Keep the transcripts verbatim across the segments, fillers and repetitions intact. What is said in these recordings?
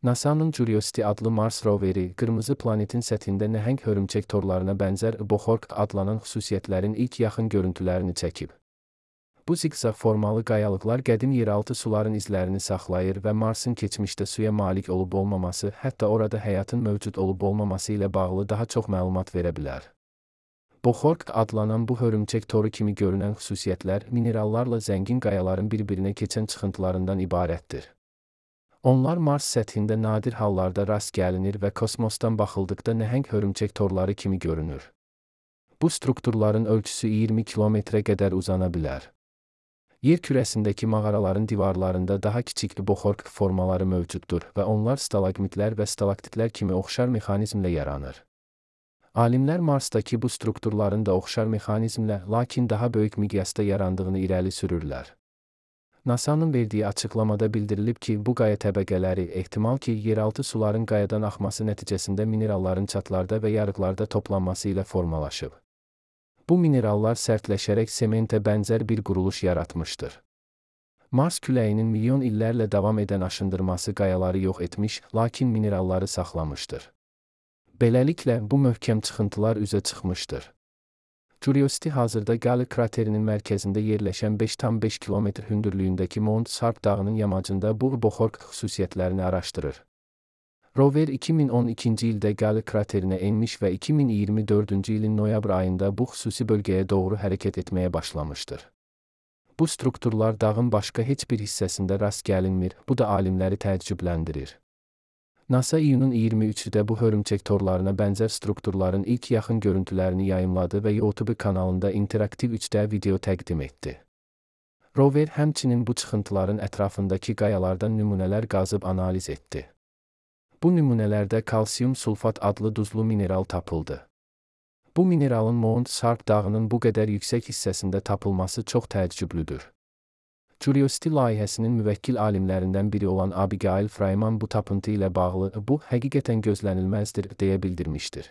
NASA'nın Curiosity adlı Mars roveri, qırmızı planetin səthində nəhəng hörümçək torlarına bənzər Bohork adlanan xüsusiyyətlərin ilk yaxın görüntülərini çəkib. Bu ziqzaq formalı qayalıqlar qədim yeraltı suların izlərini saxlayır və Marsın keçmişdə suya malik olub-olmaması, hətta orada həyatın mövcud olub-olmaması ilə bağlı daha çox məlumat verə bilər. Bohork adlanan bu hörümçək toru kimi görünən xüsusiyyətlər minerallarla zəngin qayaların bir-birinə keçən çıxıntılarından ibarətdir. Onlar Mars səthində nadir hallarda rast gəlinir və kosmosdan baxıldıqda nəhəng hörümçək torları kimi görünür. Bu strukturların ölçüsü iyirmi kilometrə qədər uzana bilər. Yer kürəsindəki mağaraların divarlarında daha kiçik Bohork formaları mövcuddur və onlar stalagmitlər və stalaktitlər kimi oxşar mexanizmlə yaranır. Alimlər Marsdakı bu strukturların da oxşar mexanizmlə, lakin daha böyük miqyasda yarandığını irəli sürürlər. NASA'nın verdiyi açıqlamada bildirilib ki, bu qaya təbəqələri ehtimal ki, yeraltı suların qayadan axması nəticəsində mineralların çatlarda və yarıqlarda toplanması ilə formalaşıb. Bu minerallar sərtləşərək sementə bənzər bir quruluş yaratmışdır. Mars küləyinin milyon illərlə davam edən aşındırması qayaları yox etmiş, lakin mineralları saxlamışdır. Beləliklə, bu möhkəm çıxıntılar üzə çıxmışdır. Curiosity hazırda Gale kraterinin mərkəzində yerləşən beş tam beş kilometr hündürlüyündəki Mount Sarp dağının yamacında bu Bohork xüsusiyyətlərini araşdırır. Rover iki min on ikinci ildə Gale kraterinə enmiş və iki min iyirmi dördüncü ilin noyabr ayında bu xüsusi bölgəyə doğru hərəkət etməyə başlamışdır. Bu strukturlar dağın başqa heç bir hissəsində rast gəlinmir, bu da alimləri təəccübləndirir. NASA iyunun iyirmi üçündə bu hörümçək torlarına bənzər strukturların ilk yaxın görüntülərini yayımladı və YouTube kanalında interaktiv üç D video təqdim etdi. Rover həmçinin bu çıxıntıların ətrafındakı qayalardan nümunələr qazıb analiz etdi. Bu nümunələrdə kalsium sulfat adlı duzlu mineral tapıldı. Bu mineralın Mount Sarp dağının bu qədər yüksək hissəsində tapılması çox təəccüblüdür. Curiosity layihəsinin müvəkkil alimlərindən biri olan Abigail Fryman bu tapıntı ilə bağlı "Bu həqiqətən gözlənilməzdir" deyə bildirmişdir.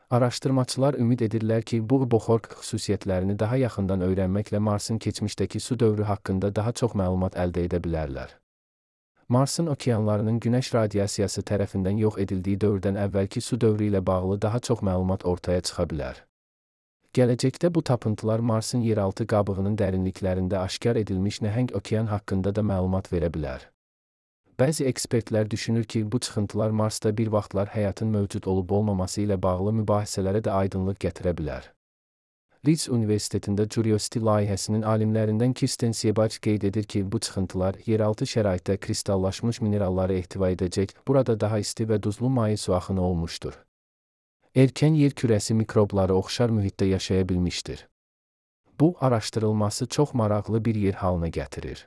Araşdırmaçılar ümid edirlər ki, bu Bohork xüsusiyyətlərini daha yaxından öyrənməklə Marsın keçmişdəki su dövrü haqqında daha çox məlumat əldə edə bilərlər. Marsın okeanlarının günəş radiasiyası tərəfindən yox edildiyi dövrdən əvvəlki su dövrü ilə bağlı daha çox məlumat ortaya çıxa bilər. Gələcəkdə bu tapıntılar Marsın yeraltı qabığının dərinliklərində aşkar edilmiş nəhəng okean haqqında da məlumat verə bilər. Bəzi ekspertlər düşünür ki, bu çıxıntılar Marsda bir vaxtlar həyatın mövcud olub-olmaması ilə bağlı mübahisələrə də aydınlıq gətirə bilər. Leeds Universitetində Curiosity layihəsinin alimlərindən Kirsten Seebach qeyd edir ki, bu çıxıntılar yeraltı şəraitdə kristallaşmış mineralları ehtiva edəcək, burada daha isti və duzlu maye su axını olmuşdur. Erkən yer kürəsi mikrobları oxşar mühitdə yaşaya bilmişdir. Bu, araşdırılması çox maraqlı bir yer halına gətirir.